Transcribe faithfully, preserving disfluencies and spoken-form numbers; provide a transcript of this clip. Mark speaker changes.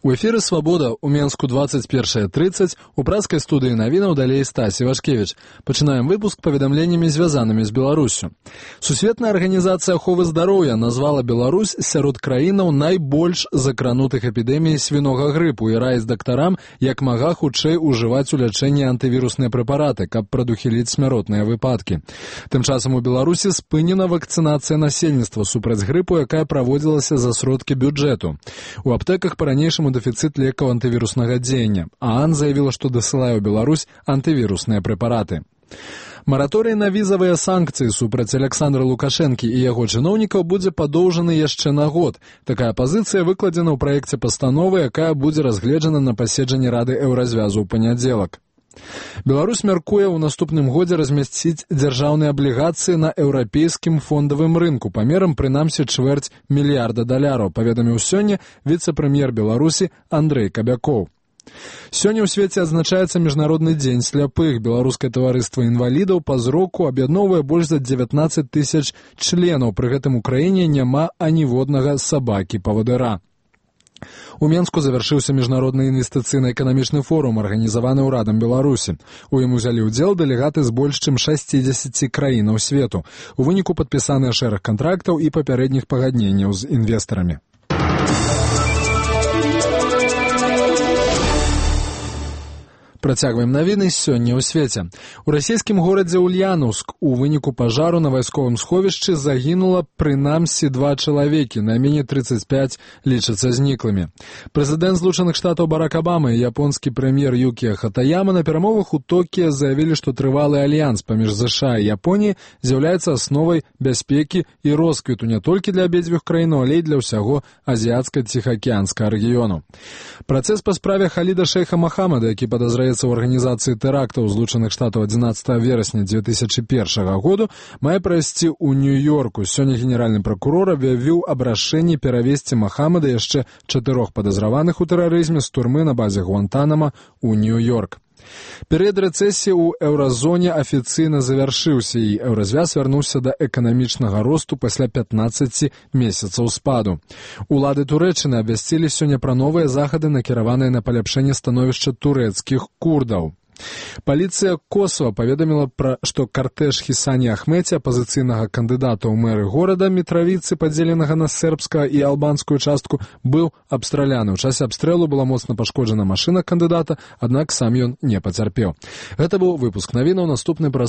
Speaker 1: У эфіры «Свабода» у Менску двадцать першая тридцать, у пражскай студыі навінаў далей Стась Івашкевіч. Пачынаем выпуск паведамленнямі, звязанымі з Беларуссю. Сусветная арганізацыя аховы здароўя назвала Беларусь сярод краінаў найбольш закранутых эпідэміяй свінога грыпу і раіць дактарам як мага хутчэй ужываць у лячэнні антывірусныя прэпараты, каб прадухіліць смяротныя выпадкі. Тым часам у Беларусі спынена вакцынацыя насельніцтва супраць грыпу, якая праводзілася за сродкі бюджэту. У аптэках па-ранейшаму дэфіцыт лекаў антывіруснага дзеяння, а АН заявіла, што дасылае ў Беларусь антывірусныя прэпараты. Мараторый на візавыя санкцыі супраць Александра Лукашэнкі і яго чыноўнікаў будзе падоўжаны яшчэ на год. Такая пазіцыя выкладзена ў праекце пастановы, якая будзе разгледжана на паседжанні Рады Еўразвязу ў панядзелак. Беларусь мяркуе ў наступным годзе размясціць дзяржаўныя аблігацыі на еўрапейскім фондавым рынку памерам прынамсі чвэрць мільярда даляраў, паведаміў сёння віцэ-прэм'ер Беларусі Андрэй Кабякоў. Сёння ў свеце адзначаецца міжнародны дзень сляпых. Беларускае таварыства інвалідаў па зроку аб'ядноўвае больш за дзевятнаццаць тысяч членаў. Пры гэтым у краіне няма аніводнага сабакі-павадыра. У Менску завяршыўся міжнародны інвестыцыйна-эканамічны форум, арганізаваны ўрадам Беларусі. У ім узялі ўдзел дэлегаты з больш чым шасцідзесяці краінаў свету. У выніку падпісаныя шэраг кантрактаў і папярэдніх пагадненняў з інвестарамі. Працягваем навіны сёння ў свеце. У расійскім горадзе Ульянаўск у выніку пажару на вайсковым сховішчы загінула прынамсі два чалавекі, найменей трыццаць пяць лічацца зніклымі. Прэзідэнт Злучаных Штатаў Барак Абама і японскі прэм'ер Юкія Хатаяма на перамовах у Токіа заявілі, што трывалы альянс паміж ЗША і Японіяй з'яўляецца асновай бяспекі і росквіту не толькі для абедзвюх краін, але і для ўсяго азіяцка-ціхаакіянскага рэгіёну. Працэс па справе Халіда шэйха Махамада, які падазраецца у арганізацыі тэрактаў Злучаных Штатаў адзінаццатага верасня дзве тысячы першага году, мае прайсці ў Нью-Йорку. Сёння генеральны пракурор аб'явіў аб рашэнні перавесці Махамада яшчэ чатырох падазраваных у тэрарызме з турмы на базе Гуантанама ў Нью-Йорк. Перыяд рэцэсіі ў еўразоне афіцыйна завяршыўся, і еўразвяз вярнуўся да эканамічнага росту пасля пятнаццаці месяцаў спаду. Улады Турэччыны абвясцілі сёння пра новыя захады, накіраваныя на паляпшэнне становішча турэцкіх курдаў. Паліцыя Косова паведаміла, пра, што картэж Хісані Ахметі, апазіцыйнага кандыдата ў мэры горада Мітравіцы, падзеленага на сербскую і албанскую частку, быў абстраляны. У часе абстрэлу была моцна пашкоджана машына кандыдата, аднак сам ён не пацярпеў. Гэта быў выпуск навінаў, наступны праз